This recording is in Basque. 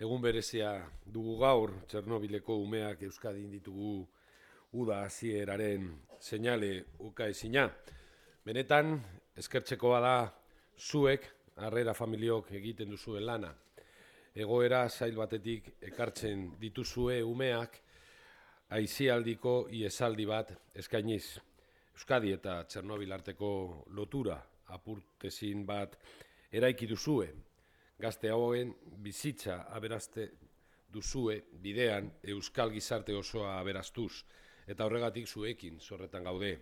Egun berezia dugu gaur, Txernobileko umeak Euskadin ditugu uda hasieraren seinale ukaezina. Benetan, eskertzekoa da zuek, harrera familiok egiten duzuen lana. Egoera zail batetik ekartzen dituzue umeak aisialdiko iesaldi bat eskainiz. Euskadi eta Txernobil arteko lotura apurtezin bat eraiki duzue. Gazte hauen bizitza aberaste duzue bidean euskal gizarte osoa aberastuz, eta horregatik zuekin zorretan gaude.